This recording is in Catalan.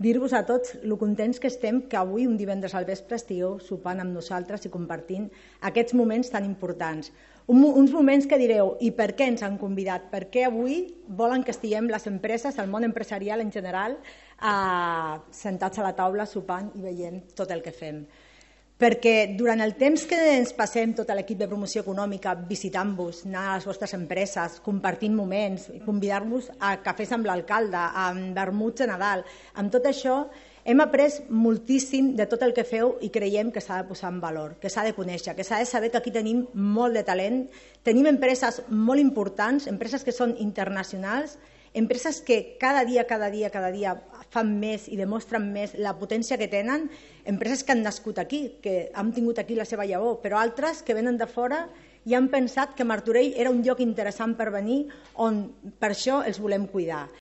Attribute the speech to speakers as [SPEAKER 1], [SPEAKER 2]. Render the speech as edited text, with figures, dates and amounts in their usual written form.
[SPEAKER 1] dir-vos a tots lo contents que estem que avui, un divendres al vespre, estigueu sopant amb nosaltres i compartint aquests moments tan importants. Uns moments que direu, i per què ens han convidat? Per què avui volen que estiguem les empreses, el món empresarial en general, sentats a la taula, sopant i veient tot el que fem? Perquè durant el temps que ens passem tot l'equip de promoció econòmica visitant-vos, anar a les vostres empreses, compartint moments, convidar-vos a cafès amb l'alcalde, a vermuts de Nadal, amb tot això hem après moltíssim de tot el que feu i creiem que s'ha de posar en valor, que s'ha de conèixer, que s'ha de saber que aquí tenim molt de talent, tenim empreses molt importants, empreses que són internacionals, empreses que cada dia fan més i demostren més la potència que tenen, empreses que han nascut aquí, que han tingut aquí la seva llavor, però altres que venen de fora i han pensat que Martorell era un lloc interessant per venir on per això els volem cuidar.